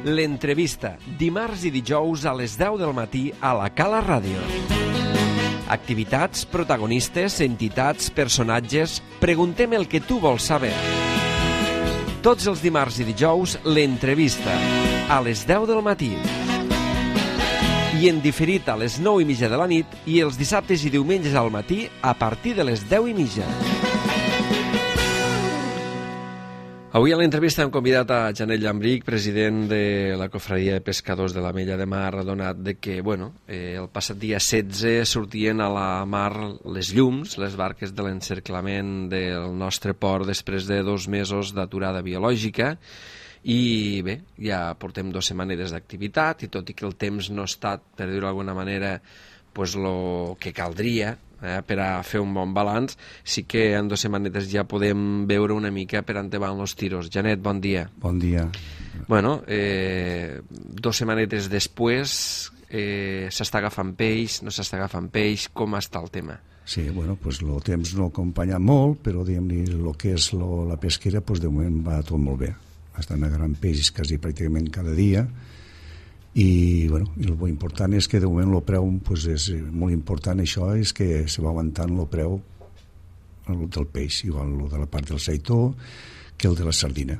L'entrevista, dimarts i dijous a les 10 del matí a la Cala Ràdio. Activitats, protagonistes, entitats, personatges... Preguntem el que tu vols saber. Tots els dimarts i dijous, l'entrevista, a les 10 del matí. I en diferit a les 9:30 de la nit i els dissabtes i diumenges al matí a partir de les 10:30. Avui a l'entrevista hem convidat a Janet Llambrich, president de la Cofradia de Pescadors de l'Ametlla de Mar, adonat de que, el passat dia 16 sortien a la mar les llums, les barques de l'encerclament del nostre port després de 2 mesos d'aturada biològica. I bé, ja portem 2 setmanes d'activitat i tot i que el temps no ha estat, per dir-ho d'alguna manera, el que caldria per a fer un bon balanç, sí que en 2 setmanetes ja podem veure una mica per on van els tiros. Janet, bon dia. Bon dia. 2 setmanetes després s'està agafant peix, no s'està agafant peix, com està el tema? Sí, el temps no acompanya molt, però diguem-ne, el que és la pesquera, de moment va tot molt bé. Estan agarrant peixos quasi pràcticament cada dia i el important és que de moment el preu és molt important. Això és que se va aguantant el preu del peix, igual el de la part del seitó que el de la sardina.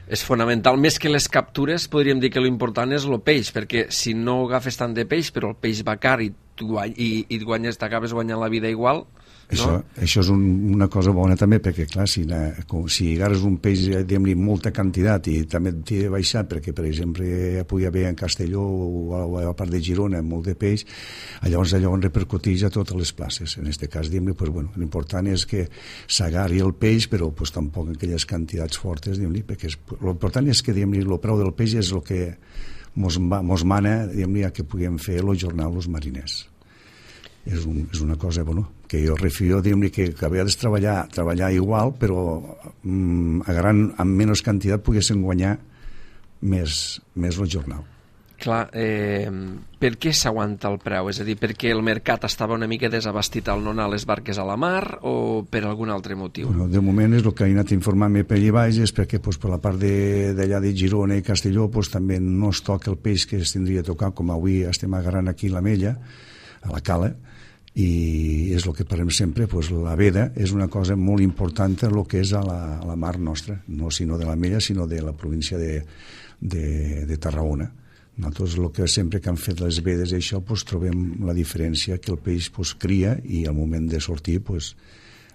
És fonamental, més que les captures podríem dir que l'important és el peix, perquè si no agafes tant de peix però el peix va car i t'acabes guanyant la vida igual. Això és una cosa bona també, perquè clar, si agarres un peix diguem-ne molta quantitat i també t'hi he baixat perquè per exemple pugui haver en Castelló o a la part de Girona molt de peix, llavors allò repercuteix a totes les places. En aquest cas l'important és que s'agarri el peix però tampoc en aquelles quantitats fortes, perquè l'important és que el preu del peix és el que mos mana a que puguem fer el jornal els mariners. És una cosa que jo refio que vegades treballar igual però agarrant amb menys quantitat poguessin guanyar més el jornal. Clar, per què s'aguanta el preu? És a dir, perquè el mercat estava una mica desabastit al no anar les barques a la mar o per algun altre motiu? De moment és el que he anat informant-me per allà baix, és perquè per la part d'allà de Girona i Castelló també no es toca el peix que es tindria a tocar, com avui estem agarrant aquí a l'Ametlla, a la cala, i és el que parlem sempre, la veda és una cosa molt important en el que és a la mar nostra, no sinó de l'Ametlla, sinó de la província de Tarragona. Nosaltres el que sempre que han fet les vedes i això trobem la diferència que el peix cria i al moment de sortir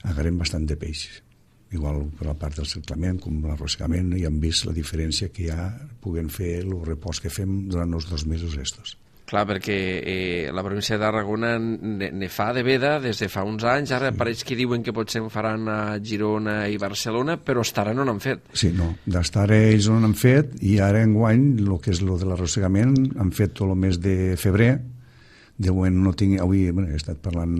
agarrem bastant de peix. Igual per la part del cerclament com l'arrossegament i hem vist la diferència que ja puguem fer el repòs que fem durant els 2 mesos estos. Clar, perquè la província de Tarragona ne fa de veda des de fa uns anys, ara pareix que diuen que potser en faran a Girona i Barcelona, però fins ara no n'han fet. Sí, no, d'estar ells no n'han fet i ara enguany, el que és el de l'arrossegament, han fet tot el mes de febrer. De moment no tinc... Avui he estat parlant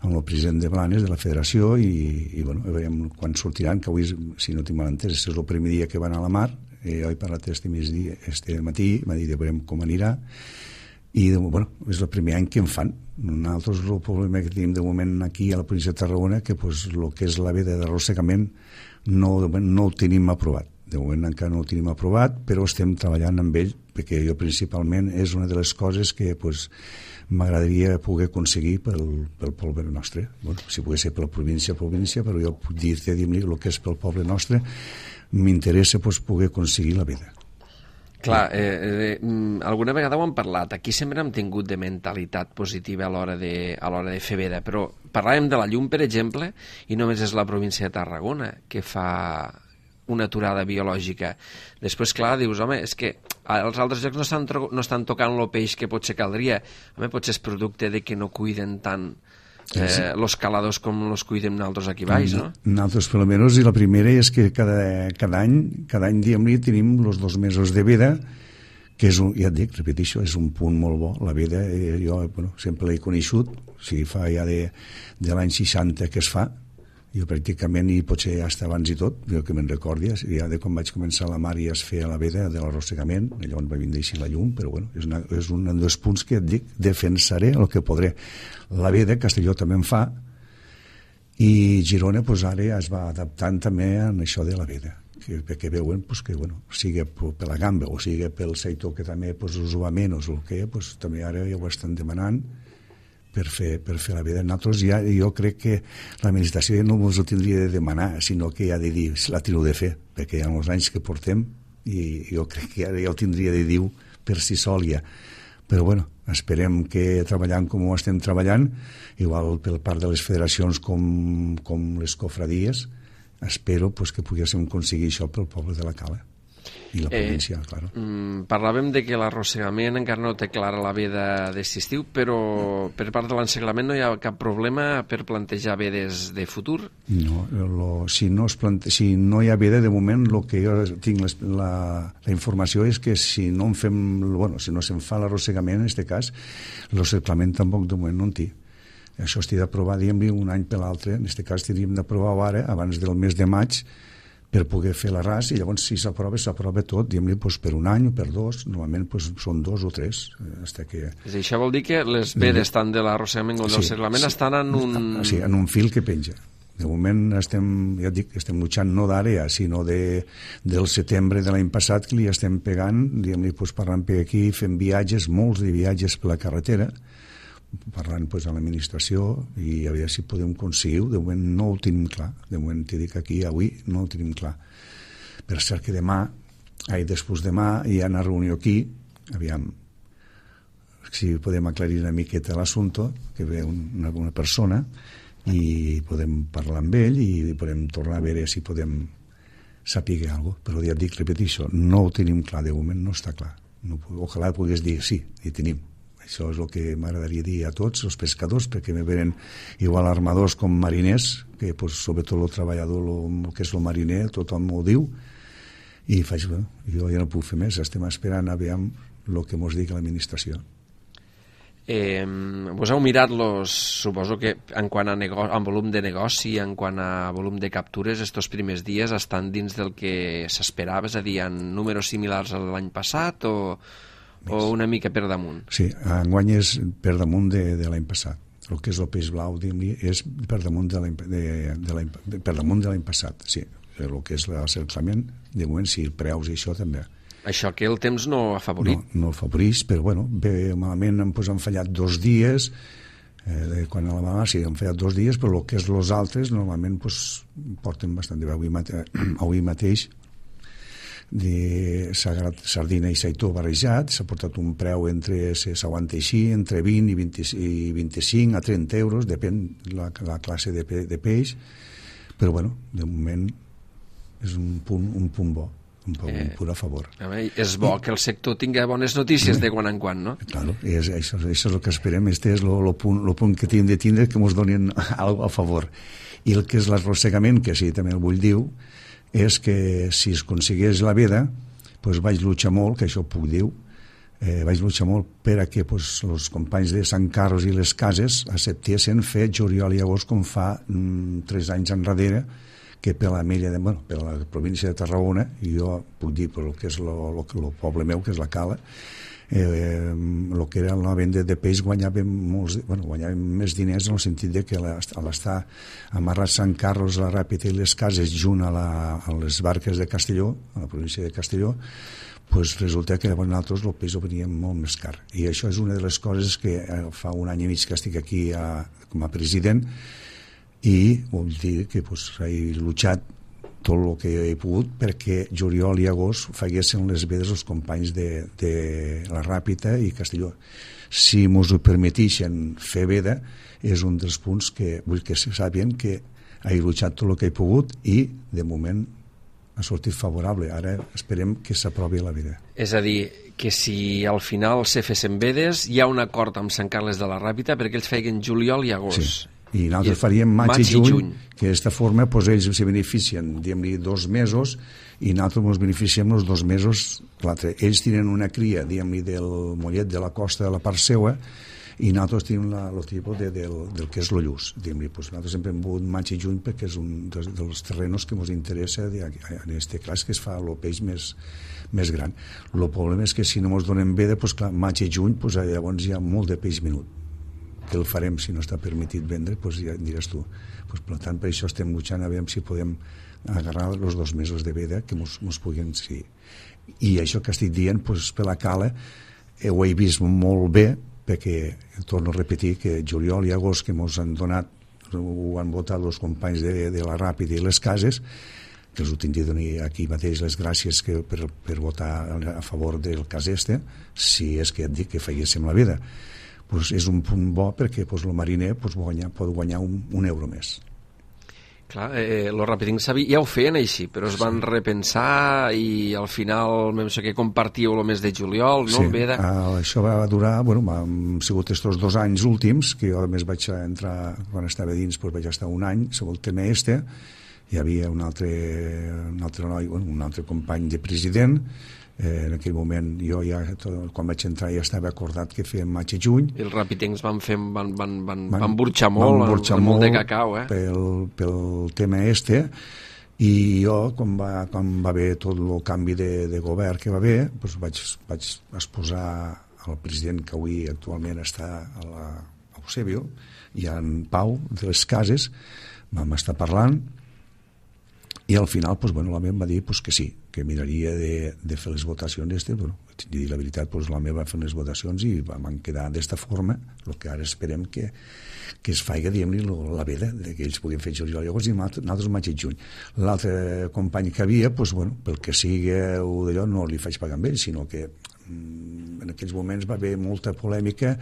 amb el president de Blanes, de la federació, i veurem quan sortiran, que avui, si no tinc mal entès, és el primer dia que van a la mar. Jo he parlat este matí, m'ha dit, veurem com anirà. I és el primer any que en fan. Nosaltres el problema que tenim de moment aquí a la província de Tarragona que el que és la veda d'arrossegament no ho tenim aprovat. De moment encara no ho tenim aprovat, però estem treballant amb ell perquè jo principalment és una de les coses que m'agradaria poder aconseguir pel poble nostre. Si pogués ser per la província, però jo puc dir-te el que és pel poble nostre, m'interessa poder aconseguir la veda. Clar, alguna vegada ho hem parlat, aquí sempre hem tingut de mentalitat positiva a l'hora de fer veda, però parlàvem de la llum, per exemple, i només és la província de Tarragona que fa una aturada biològica. Després, clar, dius, home, és que als altres llocs no estan tocant el peix que potser caldria. Home, potser és producte de que no cuiden tant los caladors com los cuidem nosaltres aquí baix, no? Nosaltres, per almenys, i la primera és que cada any diguem-ne, tenim els 2 mesos de veda, que és, ja et dic, repeteixo, és un punt molt bo. La veda, jo sempre l'he coneixut, fa ja de l'any 60 que es fa, jo pràcticament, i potser ja està abans i tot, jo que me'n recordi, ja de quan vaig començar a la mar ja es feia la veda de l'arrossegament, llavors va vindre així la llum, però és un dels punts que et dic, defensaré el que podré. La veda, Castelló també en fa, i Girona ara es va adaptant també a això de la veda. perquè veuen pues, que sigui per la gamba o sigui pel sector que també pues, us ho va menys o el que pues, també ara ja ho estan demanant per fer la vida. Nosaltres ja, jo crec que l'administració ja no ens ho tindria de demanar, sinó que ja de dir, la tiro de fer, perquè hi ha molts anys que portem i jo crec que ara ja ho tindria de dir per si sol ja. Però bueno, esperem que treballant com ho estem treballant, igual per part de les federacions com les cofradies, espero pues, que poguéssim aconseguir això pel poble de la Cala i la província, clar. Parlàvem de que l'arrossegament encara no té clara la veda d'aquest estiu, però per part de l'enseglament no hi ha cap problema per plantejar vedes de futur? No, si no hi ha veda, de moment el que jo tinc la informació és que si no se'n fa l'arrossegament, en aquest cas, l'enseglament tampoc de moment no en té. Això estic d'aprovar, diguem-li, un any per l'altre. En aquest cas, hauríem d'aprovar ara, abans del mes de maig, per poder fer l'arràs, i llavors si s'aprova tot, diguem-li, per un any o per dos, normalment són 2 o 3. Això vol dir que les vedes tant de l'arrossegament com del seglament estan en un... Sí, en un fil que penja. De moment estem luchant no d'ara ja, sinó del setembre de l'any passat, que li estem pegant, diguem-li, parlant per aquí, fent viatges, molts de viatges per la carretera, parlant a l'administració i a veure si podem aconseguir. De moment no ho tenim clar, de moment t'he dit que aquí avui no ho tenim clar. Per cert que després demà hi ha una reunió aquí, aviam si podem aclarir una miqueta l'assumpte, que ve una persona i podem parlar amb ell i podem tornar a veure si podem saber alguna cosa, però ja et dic, repeteixo, no ho tenim clar, de moment no està clar. Ojalà pogués dir sí, hi tenim. Això és el que m'agradaria dir a tots els pescadors, perquè me venen igual armadors com mariners, que sobretot el treballador, el que és el mariner, tothom m'ho diu, i faig, jo ja no puc fer més, estem esperant a veure el que mos digui l'administració. Vos heu mirat suposo que en quant a volum de negoci, en quant a volum de captures, estos primers dies estan dins del que s'esperava, és a dir, en números similars a l'any passat o una mica per damunt? Sí, enguany és per damunt de l'any passat. El que és el peix blau, diguem-li, és per damunt de l'any passat, sí. El que és l'assaltament, de moment sí, preus i això també. Això que el temps no ha favorit? No afavoreix, però bueno, bé, malament han fallat 2 dies, quan a la mà sí, han fallat 2 dies, però el que és els altres normalment porten bastant bé. Avui mateix de sardina i seitó barrejat, s'ha portat un preu s'aguanta així, entre 20 i 25 a 30 euros, depèn la classe de peix, però bueno, de moment és un punt bo, un punt a favor. És bo que el sector tingui bones notícies de quan en quan, no? Claro, això és el que esperem, este és el punt que tenim de tindre, que ens donin alguna a favor. I el que és l'arrossegament, que sí, també el vull dir, és que si es aconseguís la veda, vaig luchar molt, que això puc dir, vaig luchar molt per a que els companys de Sant Carlos i les Cases acceptessin fer juliol i agost com fa 3 anys enrere, que per la província de Tarragona, i jo puc dir per el que és el poble meu, que és la Cala, el que era la venda de peix guanyàvem més diners en el sentit de que a l'estar amarrat Sant Carlos, la Ràpita i les Cases junt a les barques de Castelló, a la província de Castelló, resulta que nosaltres el peix ho veníem molt més car. I això és una de les coses que fa un any i mig que estic aquí com a president, i vol dir que he luchat tot el que he pogut perquè juliol i agost faguessin les vedes els companys de la Ràpita i Castelló. Si mos ho permetixen fer veda, és un dels punts que vull que se sàpien que he luchat tot el que he pogut i de moment ha sortit favorable. Ara esperem que s'aprovi la veda. És a dir, que si al final se fessin vedes, hi ha un acord amb Sant Carles de la Ràpita perquè ells feien juliol i agost. Sí. I nosaltres faríem maig i juny, que d'aquesta forma ells se beneficien, diguem-li, 2 mesos, i nosaltres ens beneficiem els 2 mesos l'altre. Ells tenen una cria, diguem-li, del mollet de la costa de la part seua, i nosaltres tenim el tipus del que és el lluç. Nosaltres sempre hem volgut maig i juny perquè és un dels terrenos que ens interessa en aquest cas, que es fa el peix més gran. El problema és que si no ens donem veda, maig i juny, llavors hi ha molt de peix menut, que el farem si no està permetit vendre, doncs ja diràs tu. Doncs, per tant, per això estem luchant a veure si podem agarrar els 2 mesos de veda que mos puguin... Sí. I això que estic dient, doncs, per la cala, ho he vist molt bé, perquè, torno a repetir, que juliol i agost que mos han donat, ho han votat els companys de la Ràpida i les cases, que els ho tinc de donar aquí mateix les gràcies per votar a favor del cas si és que et dic que faiguéssim la vida. Pues és un punt bo perquè el mariner pot guanyar un euro més. Clar, els Ràpidings ja ho feien així, però es van repensar i al final, no sé què, compartíeu el mes de juliol, no? Sí, això va durar, han sigut estos 2 anys últims, que jo a més vaig entrar, quan estava dins, vaig estar un any, sobre el tema hi havia un altre noi, un altre company de president, en aquell moment jo ja, quan vaig entrar ja estava acordat que fèiem maig i juny. I els Ràpidings van burxar molt, molt de cacau, pel tema i jo, quan va haver tot el canvi de govern que va haver, doncs vaig exposar al president que avui actualment està a Eusebio i en Pau de les Cases, vam estar parlant i al final l'home em va dir que sí, que miraria de fer les votacions tinc de dir la veritat, l'home va fer les votacions i vam quedar d'esta forma, el que ara esperem que es faci, diguem-li, la veda, que ells puguin fer juliol i agost i nosaltres maig i juny. L'altre company que havia, pel que sigui d'allò, no li faig pagar amb ell, sinó que en aquells moments va haver molta polèmica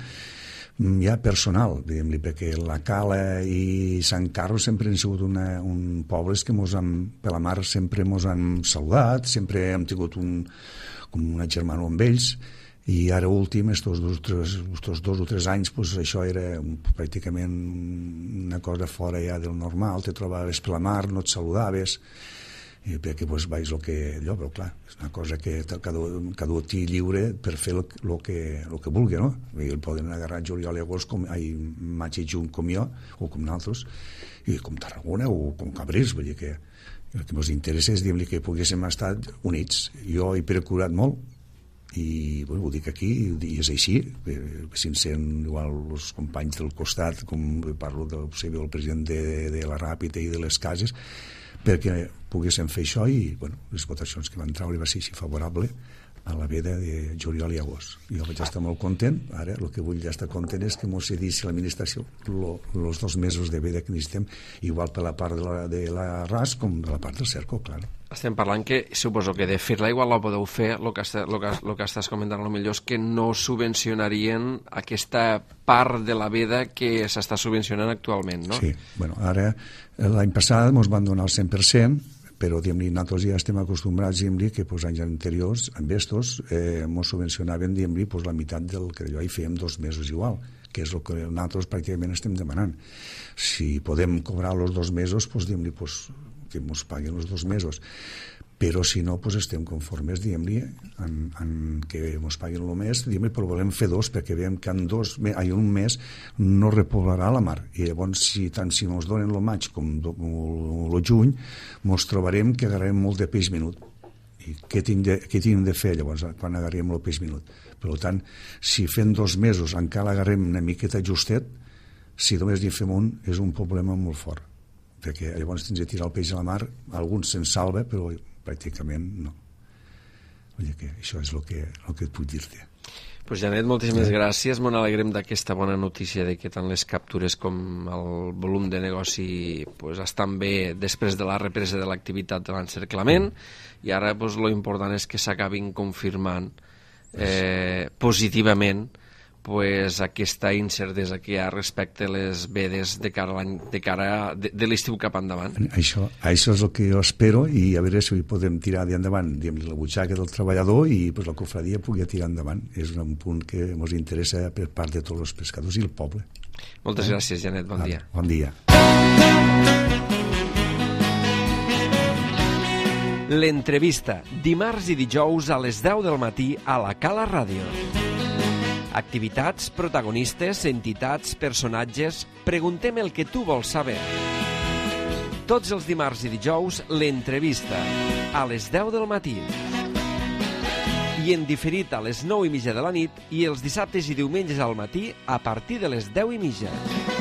ja personal, diguem-li, perquè la Cala i Sant Carlos sempre han sigut un pobles que per la mar sempre ens han saludat, sempre hem tingut com una germana amb ells, i ara últim, estos 2 o 3 anys, això era pràcticament una cosa fora ja del normal, te trobaves per la mar, no et saludaves, perquè veus el que allò, però clar, és una cosa que cada té lliure per fer el que vulgui, no? I el poden agarrar juliol i agost, maig i juny com jo, o com nosaltres, i com Tarragona o com Cabrils, vull dir que el que ens interessa és dir-li que poguéssim estar units. Jo he procurat molt, i ho dic aquí, i és així, sincer, igual els companys del costat, com parlo del president de la Ràpida i de les Cases, perquè poguéssim fer això i les votacions que van treure va ser així favorable a la veda de juliol i agost. Jo vaig estar molt content, ara el que vull estar content és que mos cedissi l'administració els 2 mesos de veda que necessitem, igual per la part de la RAS com de la part del Cerco, clar. Estem parlant que, suposo que de fer-la igual la podeu fer, el que estàs comentant potser és que no subvencionarien aquesta part de la veda que s'està subvencionant actualment, no? Sí, ara l'any passat ens van donar el 100%, però nosaltres ja estem acostumbrats que anys anteriors, amb estos, ens subvencionaven la meitat del que allò, i fèiem 2 mesos igual, que és el que nosaltres pràcticament estem demanant. Si podem cobrar els 2 mesos, que ens paguin els 2 mesos, però si no, estem conformes, diguem-li, en que ens paguin el mes, però volem fer 2, perquè veiem que en un mes no repoblarà la mar, i llavors, tant si ens donen el maig com el juny, ens trobarem que agarrem molt de peix minut. I què tinc de fer, llavors, quan agarrem el peix minut? Per tant, si fem 2 mesos encara agarrem una miqueta justet, si només n'hi fem un, és un problema molt fort, perquè llavors tens de tirar el peix a la mar, alguns se'n salva, però pràcticament no. Vull dir que això és el que et puc dir-te. Pues Janet, moltíssimes gràcies. M'ho alegrem d'aquesta bona notícia de que tant les captures com el volum de negoci estan bé després de la represa de l'activitat de l'encerclament, i ara lo important és que s'acabin confirmant positivament aquesta incertesa que hi ha respecte a les vedes de cara de l'estiu cap endavant. Això és el que jo espero, i a veure si podem tirar endavant la butxaca del treballador i la cofradia pugui tirar endavant. És un punt que ens interessa per part de tots els pescadors i el poble. Moltes gràcies, Janet. Bon dia. Bon dia. L'entrevista, dimarts i dijous a les 10 del matí a la Cala Ràdio. Activitats, protagonistes, entitats, personatges... Preguntem el que tu vols saber. Tots els dimarts i dijous, l'entrevista, a les 10 del matí. i en diferit a les 9:30 de la nit i els dissabtes i diumenges al matí a partir de les 10:30.